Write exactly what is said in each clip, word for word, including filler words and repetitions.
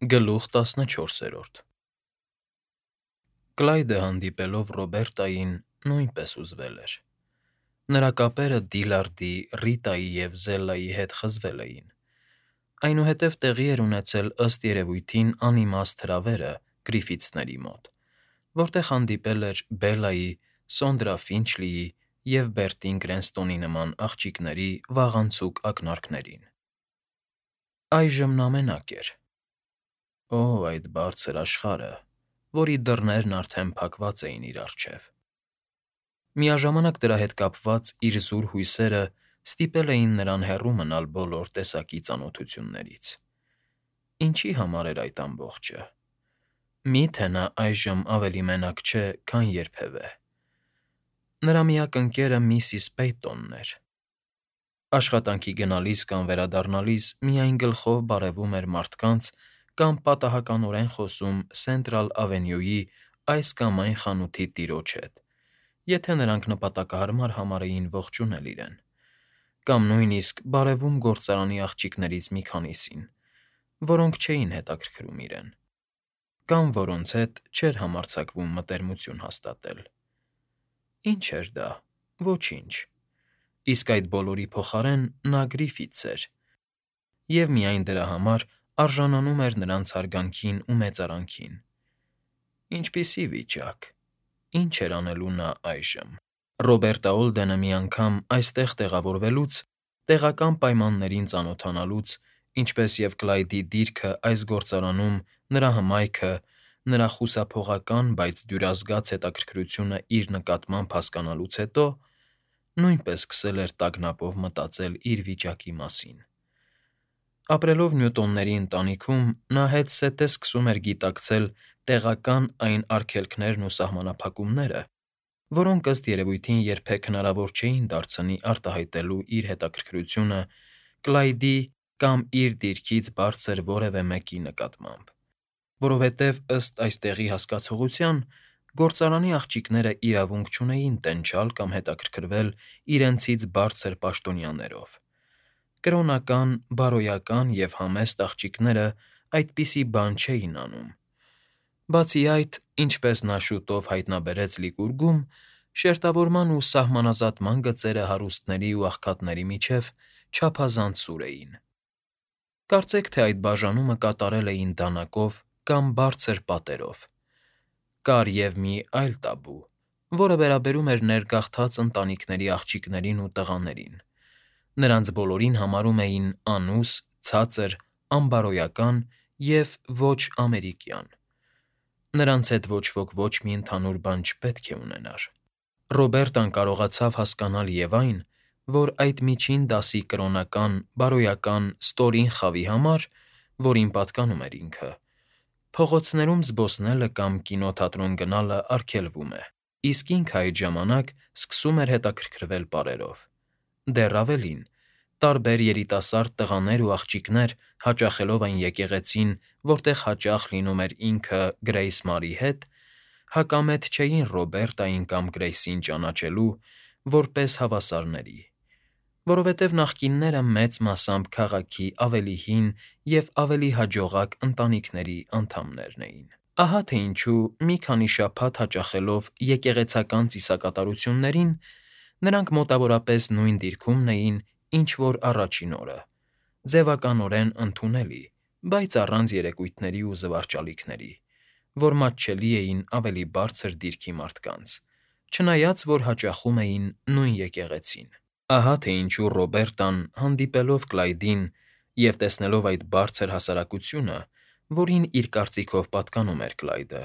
Գլուխ տասնչորսերորդ Կլայդը հանդիպելով Ռոբերտային նույնպես հուզվել էր. նրա կապերը Դիլարդի, Ռիտայի և Զելլայի հետ խզվել էին, այնուհետև տեղի էր ունեցել ըստ երևույթին անիմաստ հրավերը Գրիֆիթսների մոտ, որտեղ հանդիպել էր Բելլայի, Սոնդրա Ֆինչլիի և Բերտին Գրենստոնի նման աղջիկների վաղանցուկ ակնարկներին։ Այժմ նա մենակ էր։ Օ՜, այդ բարձր աշխարհը, որի դռներն արդեն փակված էին իր առջև։ Միաժամանակ դրա հետ կապված իր զուր հույսերը ստիպել էին նրան հեռու մնալ բոլոր տեսակի ծանոթություններից։ Ինչի՞ համար էր այդ ամբողջը։ Մի՞թե նա այժմ ավելի մենակ չէ, քան երբևէ։ Նրա միակ ընկերը միսիս Պեյտոնն էր։ Աշխատանքի գնալիս կամ վերադառնալիս միայն գլխով բարևում էր մարդկանց կամ պատահականորեն խոսում Սենտրալ Ավենյուի այս կամ այն խանութի տիրոջ հետ, եթե նրանք նպատակահարմար համարեին ողջունել իրեն, կամ նույնիսկ բարևում գործարանի աղջիկներից մի քանիսին, որոնք չէին հետաքրքրում իրեն, կամ որոնց հետ չէր համարձակվում մտերմություն հաստատել։ Ի՞նչ էր դա, ոչինչ, իսկ այդ բոլորի փոխարեն նա Գրիֆիթս էր, և միայն դրա համար արժանանում էր նրանց հարգանքին ու մեծարանքին։ Ինչպիսի վիճակ… Ի՞նչ էր անելու նա այժմ։ Ռոբերտը Օլդենը մի անգամ այստեղ տեղավորվելուց, տեղական պայմաններին ծանոթանալուց, ինչպես և Կլայդի դիրքը այս գործարանում, նրա հմայքը, նրա խուսափողական, բայց դյուրազգաց հետաքրքրությունը իր նկատմամբ հասկանալուց հետո նույնպես սկսել էր տագնապով մտածել իր վիճակի մասին։ Ապրելով Նյուտոնների ընտանիքում՝ նա հետզհետե սկսում էր գիտակցել տեղական այն արգելքներն ու սահմանափակումները, որոնք ըստ երևույթին երբեք հնարավոր չէին դարձնի արտահայտելու իր հետաքրքրությունը Կլայդի կամ իր դիրքից բարձր որևէ մեկի նկատմամբ, որովհետև, ըստ այս տեղի հասկացողության, գործարանի աղջիկները իրավունք չունեին տենչալ կամ հետաքրքրվել իրենցից բարձր պաշտոնյաներով։ Կրոնական, բարոյական և համեստ աղջիկները այդպիսի բան չէին անում։ Բացի այդ, ինչպես նա շուտով հայտնաբերեց Լիկուրգում, շերտավորման ու սահմանազատման գծերը հարուստների ու աղքատների միջև չափազանց սուր էին։ Կարծեք թե այդ բաժանումը կատարել էին դանակով կամ բարձր պատերով։ Կար և մի այլ տաբու, որը վերաբերում էր ներգաղթած ընտանիքների աղջիկներին ու տղաներին։ Նրանց բոլորին համարում էին անուս, ցածր, անբարոյական և ոչ ամերիկյան։ Նրանց հետ ոչ ոք ոչ մի ընդհանուր բան չպետք է ունենար։ Ռոբերտան կարողացավ հասկանալ և այն, որ այդ միջին դասի կրոնական, բարոյական, ստորին խավի համար, որին պատկանում էր ինքը, փողոցներում զբոսնելը կամ կինոթատրոն գնալը արգելվում է, իսկ ինքը այդ ժամանակ սկսում էր հետաքրքրվել պարերով։ Դեռ ավելին, տարբեր երիտասարդ տղաներ ու աղջիկներ, հաճախելով այն եկեղեցին, որտեղ հաճախ լինում էր ինքը Գրեյս Մարի հետ, հակամետ չէին Ռոբերտային կամ Գրեյսին ճանաչելու որպես հավասարների, որովհետև նախկինները մեծ մասամբ քաղաքի ավելի հին և ավելի հաջողակ ընտանիքների անդամներն էին։ Ահա թե ինչու, մի քանի շաբաթ հաճախելով եկեղեցական ծիսակատարություններին, նրանք մոտավորապես նույն դիրքումն էին, ինչ որ առաջին օրը, ձևականորեն ընդունելի, բայց առանց երեկույթների ու զվարճալիքների, որ մատչելի էին ավելի բարձր դիրքի մարդկանց, չնայած որ հաճախում էին նույն եկեղեցին։ Ահա թե ինչու Ռոբերտան, հանդիպելով Կլայդին և տեսնելով այդ բարձր հասարակությունը, որին իր կարծիքով պատկանում էր Կլայդը,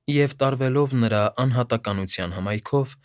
և տարվելով նրա անհատականության հմայքով,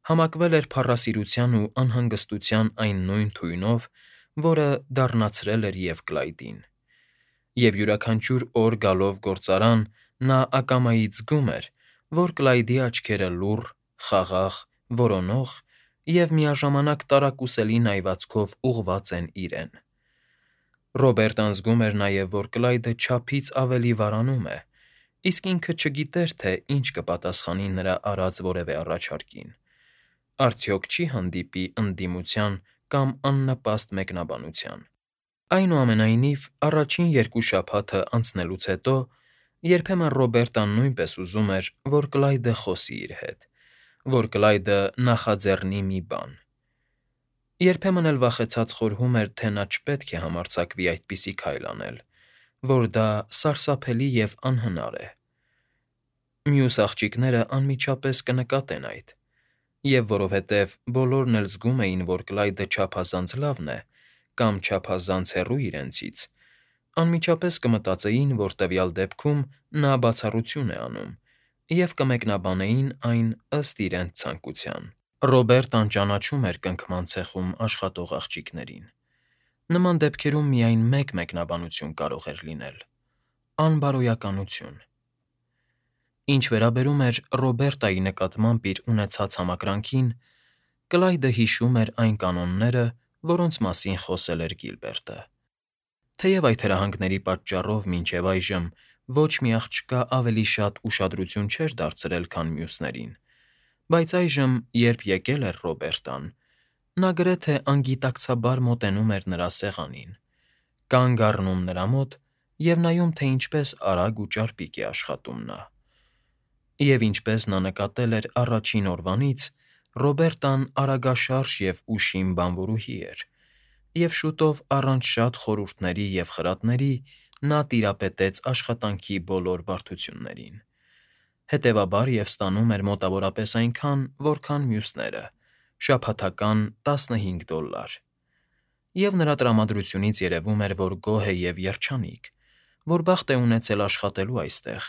համակվել էր փառասիրության ու անհանգստության այն նույն թույնով, որը դառնացրել էր և Կլայդին։ Եվ յուրաքանչյուր օր գալով գործարան, նա ակամայից զգում էր, որ Կլայդի աչքերը լուռ, խաղաղ, որոնող և միաժամանակ տարակուսելի նայվածքով ուղղված են իրեն։ Ռոբերտան զգում էր նաև, որ Կլայդը չափից ավելի վարանում է, իսկ ինքը չգիտեր, թե ինչ կպատասխանի նրա արած որևէ առաջարկին, արդյոք չի՞ հանդիպի ընդդիմության կամ աննպաստ մեկնաբանության։ Այնուամենայնիվ, առաջին երկու շաբաթը անցնելուց հետո երբեմն Ռոբերտան նույնպես ուզում էր, որ Կլայդը խոսի իր հետ, որ Կլայդը նախաձեռնի մի բան. երբեմն էլ վախեցած խորհում էր, թե նա չպետք է համարձակվի այդպիսի քայլ անել, որ դա սարսափելի և անհնար է։ Մյուս աղջիկները անմիջապես կնկատեն այդ, և որովհետև բոլորն էլ զգում էին, որ Կլայդը չափազանց լավն է կամ չափազանց հեռու իրենցից, անմիջապես կմտածեին, որ տվյալ դեպքում նա բացառություն է անում, և կմեկնաբանեին այն ըստ իրենց ցանկության։ Ռոբերտան ճանաչում էր կնքման ցեխում աշխատող աղջիկներին։ Նման դեպքերում միայն մեկ մեկնաբանություն կարող էր լինել՝ անբարոյականություն։ Ինչ վերաբերում էր Ռոբերտայի նկատմամբ իր ունեցած համակրանքին, Կլայդը հիշում էր այն կանոնները, որոնց մասին խոսել էր Գիլբերտը։ Թեև այդ հրահանգների պատճառով մինչև այժմ ոչ մի աղջկա ավելի շատ ուշադրություն չէր դարձրել, քան մյուսներին, բայց այժմ, երբ եկել էր Ռոբերտան, նա գրեթե անգիտակցաբար մոտենում էր նրա սեղանին, կանգ առնում նրա մոտ և նայում, թե ինչպես արագ ու ճարպիկ է աշխատում նա։ Եվ ինչպես նա նկատել էր առաջին օրվանից, Ռոբերտան արագաշարժ և ուշիմ բանվորուհի էր, և շուտով առանց շատ խորհուրդների և խրատների նա տիրապետեց աշխատանքի բոլոր բարդություններին, հետևաբար և ստանում էր մոտավորապես այնքան, որքան մյուսները՝ շաբաթական տասնհինգ դոլար։ Եվ նրա տրամադրությունից երևում էր, որ գոհ է և երջանիկ, որ բախտ է ունեցել աշխատելու այստեղ,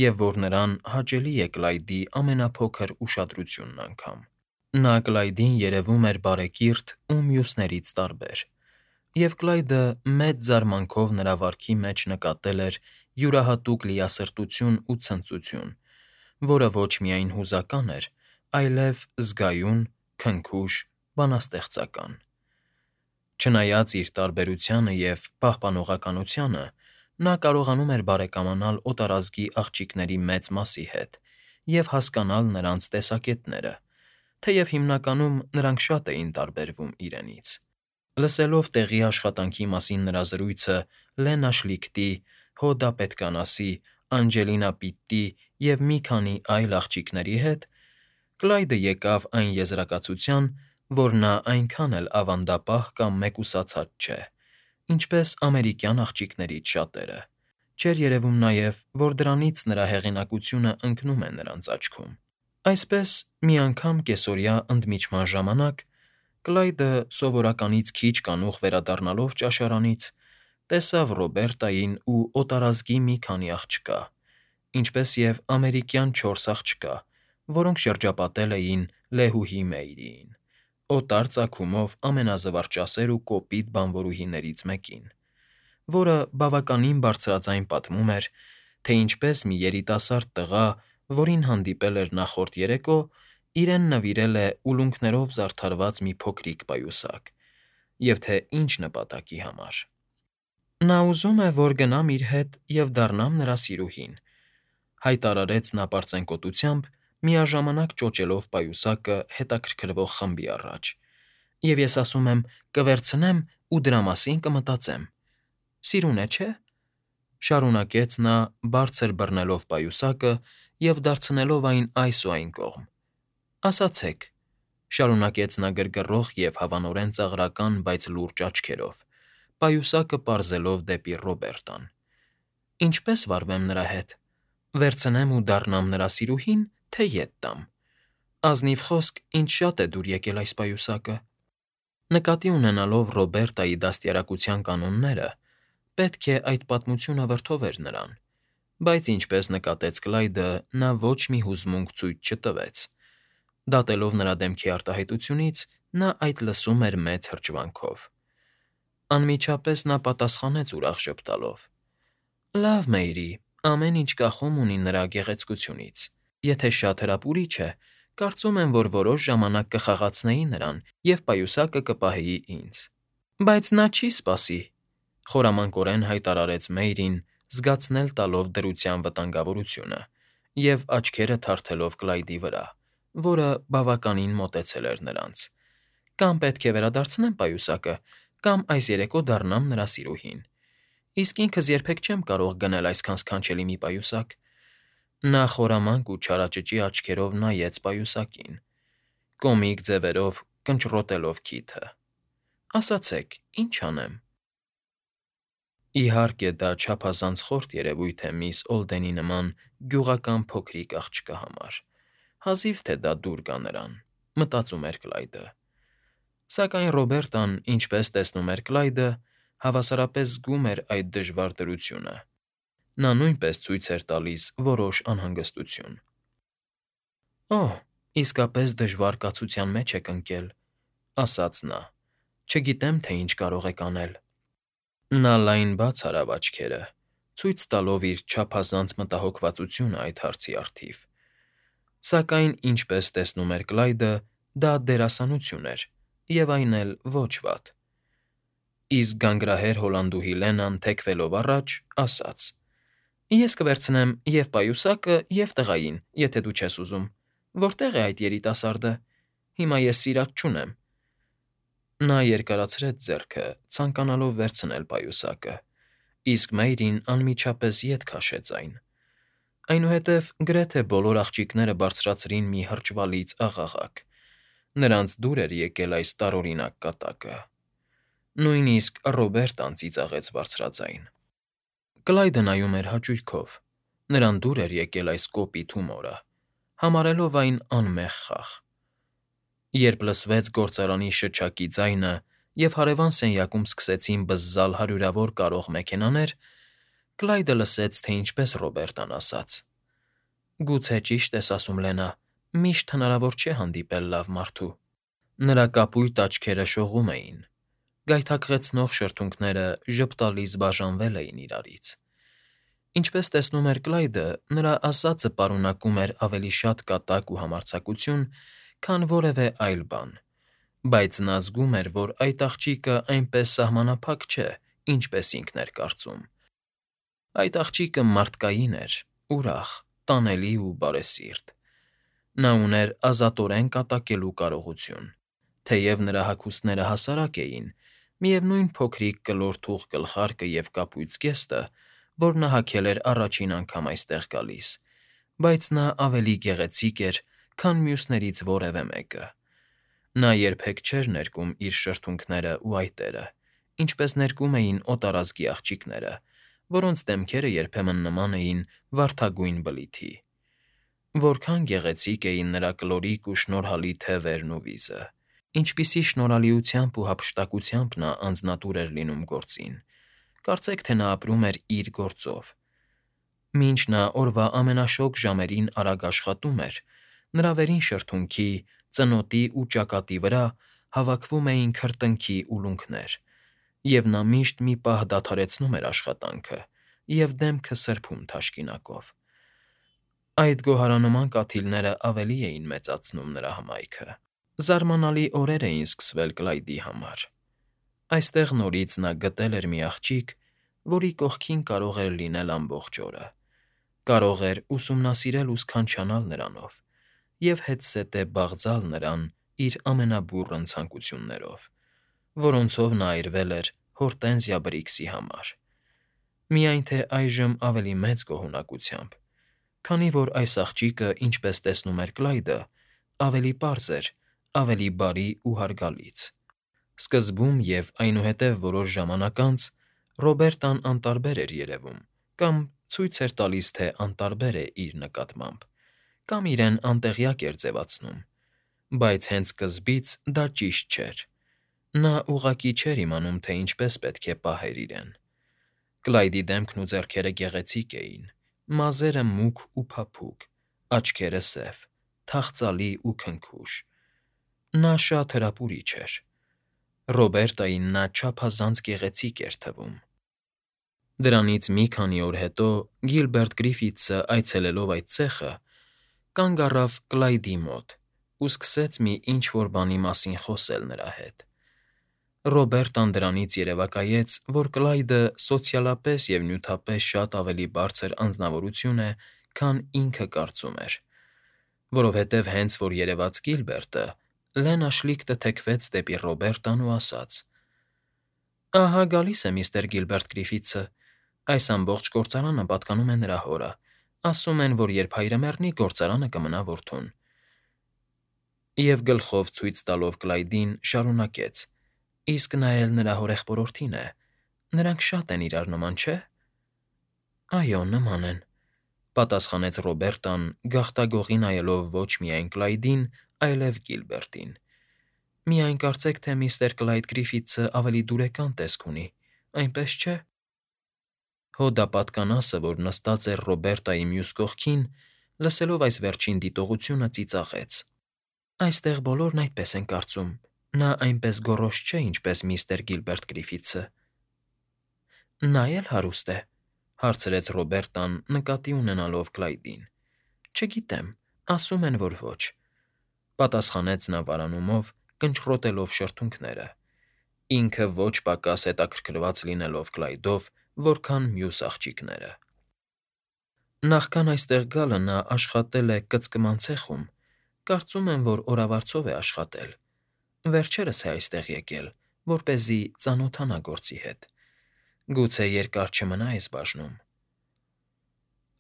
և որ նրան հաճելի է Կլայդի ամենափոքր ուշադրությունն անգամ։ Նա Կլայդին երևում էր բարեկիրթ ու մյուսներից տարբեր, և Կլայդը մեծ զարմանքով նրա վարքի մեջ նկատել էր յուրահատուկ լիասրտություն ու ցնծություն, որը ոչ միայն հուզական էր, այլև զգայուն, քնքուշ, բանաստեղծական։ Չնայած իր տարբերությանը և պահպանողականությանը, նա կարողանում էր բարեկամանալ օտարազգի աղջիկների մեծ մասի հետ և հասկանալ նրանց տեսակետները, թեև հիմնականում նրանք շատ էին տարբերվում իրենից։ Լսելով տեղի աշխատանքի մասին նրա զրույցը Լենա Շլիքտի, Հոդա Պետկանասի, Անջելինա Պիտտի և մի քանի այլ աղջիկների հետ, Կլայդը եկավ այն եզրակացության, որ նա այնքան էլ ավանդապահ կամ մեկուսացած չէ, ինչպես ամերիկյան աղջիկներից շատերը, չէր երևում նաև, որ դրանից նրա հեղինակությունը ընկնում է նրանց աչքում։ Այսպես, մի անգամ կեսօրյա ընդմիջման ժամանակ Կլայդը սովորականից քիչ կանուխ վերադառնալով ճաշարանից, տեսավ Ռոբերտային ու օտարազգի մի քանի աղջկա, ինչպես և ամերիկյան չորս աղջկա, որոնք շրջապատել էին Լեհուհի Մեյրիին, օտար ծագումով ամենազվարճասեր ու կոպիտ բանվորուհիներից մեկին, որը բավականին բարձրաձայն պատմում էր, թե ինչպես մի երիտասարդ տղա, որին հանդիպել էր նախորդ երեկո, իրեն նվիրել է ուլունքներով զարդարված մի փոքրիկ պայուսակ, և թե ինչ նպատակի համար։ Նա ուզում է, որ գնամ իր հետ և դառնամ նրա սիրուհին, հայտարարեց նա պարծենկոտությամբ, միաժամանակ ճոճելով պայուսակը հետաքրքրվող խմբի առաջ, և ես ասում եմ՝ կվերցնեմ ու դրա մասին կմտածեմ։ Սիրուն է, չէ՞, շարունակեց նա, բարձր բռնելով պայուսակը և դարձնելով այն այս ու այն կողմ։ Ասացեք, շարունակեց նա գրգռող և հավանորեն ծաղրական, բայց լուրջ աչքերով, պայուսակը պարզելով դեպի Ռոբերտան. ինչպե՞ս վարվեմ նրա հետ, վերցնեմ ու դառնամ նրա սիրուհի՞ն, թե ետ տամ։ Ազնիվ խոսք, ինձ շատ է դուր եկել այս պայուսակը։ Նկատի ունենալով Ռոբերտայի դաստիարակության կանոնները, պետք է այդ պատմությունը վրդովեր նրան, բայց ինչպես նկատեց Կլայդը, նա ոչ մի հուզմունք ցույց չտվեց։ Դատելով նրա դեմքի արտահայտությունից, նա այդ լսում էր մեծ հրճվանքով։ Անմիջապես նա պատասխանեց ուրախ ժպտալով. Լավ, Մեյրի, ամեն ինչ կախում ունի նրա գեղեցկությունից։ Եթե շատ հրապուրիչ է, կարծում եմ, որ որոշ ժամանակ կխաղացնեի նրան և պայուսակը կպահեի ինձ։ Բայց նա չի սպասի, խորամանկորեն հայտարարեց Մեյրին, զգացնել տալով դրության վտանգավորությունը և աչքերը թարթելով Կլայդի վրա, որը բավականին մոտեցել էր նրանց։ Կամ պետք է վերադարձնեմ պայուսակը, կամ այս երեկո դառնամ նրա սիրուհին։ Իսկ ինքս երբեք չեմ կարող գնել այսքան սքանչելի մի պայուսակ։ Նա խորամանկ ու չարաճճի աչքերով նայեց պայուսակին, կոմիկ ձևերով կնճռոտելով քիթը։ Ասացեք, ի՞նչ անեմ։ Իհարկե, դա չափազանց խորթ երևույթ է միս Օլդենի նման գյուղական փոքրիկ աղջկա համար։ Հազիվ թե դա դուր գա նրան, մտածում էր Կլայդը։ Սակայն Ռոբերտան, ինչպես տեսնում էր Կլայդը, հավասարապես զգում էր այդ դժվար դրությունը։ Նա նույնպես ցույց էր տալիս որոշ անհանգստություն։ «Օհ, իսկապես դժվար կացության մեջ եք ընկել,֊ ասաց նա։֊ Չգիտեմ, թե ինչ կարող եք անել»։ Նա լայն բաց արավ աչքերը, ցույց տալով իր չափազանց մտահոգվածությունը այդ հարցի առթիվ։ Սակայն, ինչպես տեսնում էր Կլայդը, դա դերասանություն էր, և այն էլ ոչ վատ։ Իսկ գանգրահեր Հոլանդուհի Լենան, թեքվելով առաջ, ասաց. «Ես կվերցնեմ և՛ պայուսակը, և՛ տղային, եթե դու չես ուզում։ Որտե՞ղ է այդ երիտասարդը։ Հիմա ես սիրած չունեմ»։ Նա երկարացրեց ձեռքը, ցանկանալով վերցնել պայուսակը, իսկ Մեյրին անմիջապես ետ քաշեց այն։ Այնուհետև գրեթե բոլոր աղջիկները բարձրացրին մի հրճվալից աղաղակ։ Նրանց դուր էր եկել այս տարօրինակ կատակը։ Նույնիսկ Ռոբերտան ծիծաղեց բարձրաձայն։ Կլայդը նայում էր հաճույքով։ Նրան դուր էր եկել այս կոպիտ հումորը, համարելով այն անմեղ խաղ։ Երբ լսվեց գործարանի շչակի ձայնը և հարևան սենյակում սկսեցին բզզալ հարյուրավոր կարող մեքենաներ, Կլայդը լսեց, թե ինչպես Ռոբերտան ասաց. «Գուցե ճիշտ ես ասում, Լենա, միշտ հնարավոր չէ հանդիպել լավ մարդու»։ Նրա կապույտ աչքերը շողում էին, գայթակղեցնող շրթունքները ժպտալից բաժանվել էին իրարից։ Ինչպես տեսնում էր Կլայդը, նրա ասածը պարունակում էր ավելի շատ կատակ ու համարձակություն, քան որևէ այլ բան, բայց նա զգում էր, որ այդ աղջիկը այնպես սահմանափակ չէ, ինչպես ինքն էր կարծում։ Այդ աղջիկը մարդկային էր, ուրախ, տանելի ու բարեսիրտ։ Նա ուներ ազատորեն կատակելու կարողություն։ Թեև նրա հագուստները հասարակ էին, միևնույն փոքրիկ կլոր թուխ գլխարկը և կապույտ զգեստը, որ նա հագել էր առաջին անգամ այստեղ գալիս, բայց նա ավելի գեղեցիկ էր, քան մյուսներից որևէ մեկը։ Նա երբեք չէր ներկում իր շրթունքները ու այտերը, ինչպես ներկում էին օտարազգի աղջիկները, որոնց դեմքերը երբեմն նման էին վարդագույն բլիթի։ Որքան գեղեցիկ էին նրա կլորիկ ու շնորհալի թևերն ու վիզը, ինչպիսի շնորհալիությամբ ու հափշտակությամբ նա անձնատուր էր լինում գործին, կարծեք թե նա ապրում էր իր գործով։ Մինչ նա օրվա ամենաշոգ ժամերին արագ աշխատում էր, նրա վերին շրթունքի, ծնոտի ու ճակատի վրա հավաքվում էին քրտինքի ուլունքներ, և նա միշտ մի պահ դադարեցնում էր աշխատանքը և դեմքը սրբում թաշկինակով։ Այդ գոհարանման կաթիլները ավելի էին մեծացնում նրա հմայքը։ Զարմանալի օրեր էին սկսվել Կլայդի համար։ Այստեղ նորից նա գտել էր մի աղջիկ, որի կողքին կարող էր լինել ամբողջ օրը, կարող էր ուսումնասիրել ու սքանչանալ նրանով և հետզհետե բաղձալ նրան իր ամենաբուռն ցանկություններով, որոնցով նա այրվել էր Հորտենզիա Բրիքսի համար։ Միայն թե այժմ ավելի մեծ գոհունակությամբ, քանի որ այս աղջիկը, ինչպես տեսնում էր Կլայդը, ավելի պարզ էր, ավելի բարի ու հարգալից։ Սկզբում և այնուհետև որոշ ժամանակ անց Ռոբերտան անտարբեր էր երևում կամ ցույց էր տալիս, թե անտարբեր է իր նկատմամբ, կամ իրեն անտեղյակ էր ձևացնում, բայց հենց սկզբից դա ճիշտ չէր։ Նա ուղղակի չէր իմանում, թե ինչպես պետք է պահեր իրեն։ Կլայդի դեմքն ու ձեռքերը գեղեցիկ էին, մազերը մուգ ու փափուկ, աչքերը սև, թախծալի ու քնքուշ։ Նա շատ հրապուրիչ էր։ Ռոբերտային նա չափազանց գեղեցիկ էր թվում։ Դրանից մի քանի օր հետո Գիլբերտ Գրիֆիթսը, այցելելով այդ ցեխը, կանգ առավ Կլայդի մոտ ու սկսեց մի ինչ֊որ բանի մասին խոսել նրա հետ։ Ռոբերտան դրանից երևակայեց, որ Կլայդը սոցիալապես և նյութապես շատ ավելի բարձր անձնավորություն է, քան ինքը կարծում էր, որովհետև հենց որ երևաց Գիլբերտը, Լենա շլիկտը թեքվեց դեպի Ռոբերտան ու ասաց. Ահա գալիս է միստր Գիլբերտ Գրիֆիթսը, այս ամբողջ գործարանը պատկանում է նրա հորը, ասում են, որ երբ հայրը մեռնի, գործարանը կմնա որդուն։ Եվ գլխով ցույց տալով Կլայդին շարունակեց. Իսկ նա էլ նրա հորեղբորորդին է, նրանք շատ են իրար նման, չէ՞։ Այո, նման են, պատասխանեց Ռոբերտան, գաղտագողի նայելով ոչ միայն Կլայդին, այլև Գիլբերտին։ Միայն կարծեք, թե միստր Կլայդ Գրիֆիթսը ավելի դուրեկան տեսք ունի, այնպես չէ՞։ Հոդապատկանասը, որ նստած էր Ռոբերտայի մյուս կողքին, լսելով այս վերջին դիտողությունը, ծիծաղեց. Այստեղ բոլորն այդպես են կարծում, նա այնպես գոռոզ չէ, ինչպես միստր Գիլբերտ Գրիֆիթսը։ Նա էլ հարուստ է, հարցրեց Ռոբերտան, նկատի ունենալով Կլայդին։ Չգիտեմ, ասում են, որ ոչ, պատասխանեց նա վարանումով, կնճռոտելով շրթունքները, ինքը ոչ պակաս հետաքրքրված լինելով Կլայդով, որքան մյուս աղջիկները։ Նախքան այստեղ գալը նա աշխատել է կծկման ցեխում, կարծում եմ, որ օրավարձով է աշխատել։ Վերջերս է այստեղ եկել, որպեսզի ծանոթանա գործի հետ։ Գուցե երկար չմնա այս բաժնում։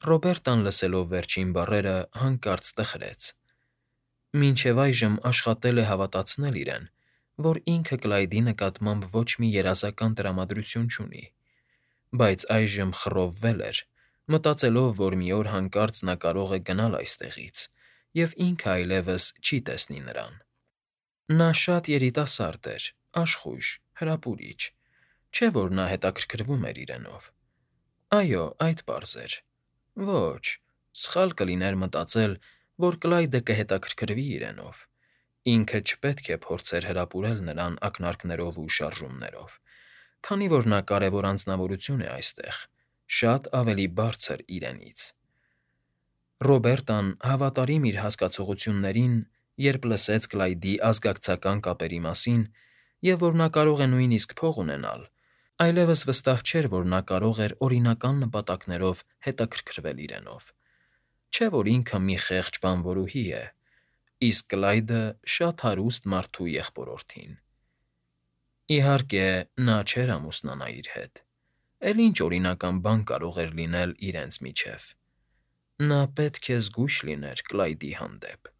Ռոբերտան լսելով վերջին բառերը հանկարծ տխրեց։ Մինչև այժմ աշխատել է հավատացնել իրեն, որ ինքը Կլայդի նկատմամբ ոչ մի երազական տրամադրություն չունի, բայց այժմ խռովվել էր, մտածելով, որ մի օր հանկարծ նա կարող է գնալ այստեղից, և ինքը այլևս չի տեսնի նրան։ Նա շատ երիտասարդ էր, աշխույժ, հրապուրիչ, չէ՞ որ նա հետաքրքրվում էր իրենով։ Այո, այդ պարզ էր։ Ոչ, սխալ կլիներ մտածել, որ Կլայդը կհետաքրքրվի իրենով։ Ինքը չպետք է փորձեր հրապուրել նրան ակնարկներով ու շարժումներով, քանի որ նա կարևոր անձնավորություն է այստեղ, շատ ավելի բարձր իրենից։ Ռոբերտան հավատարիմ իր հասկացություններին, երբ լսեց Կլայդի ազգակցական կապերի մասին և որ նա կարող է նույնիսկ փող ունենալ, այլևս վստահ չէր, որ նա կարող էր օրինական նպատակներով հետաքրքրվել իրենով։ Չէ՞ որ ինքը մի խեղճ բանվորուհի է, իսկ Կլայդը շատ հարուստ մարդու եղբորորդին։ Իհարկե, նա չէր ամուսնանա իր հետ, էլ ինչ օրինական բան կարող էր լինել իրենց միջև։ Նա պետք է զգույշ լիներ Կլայդի հանդեպ։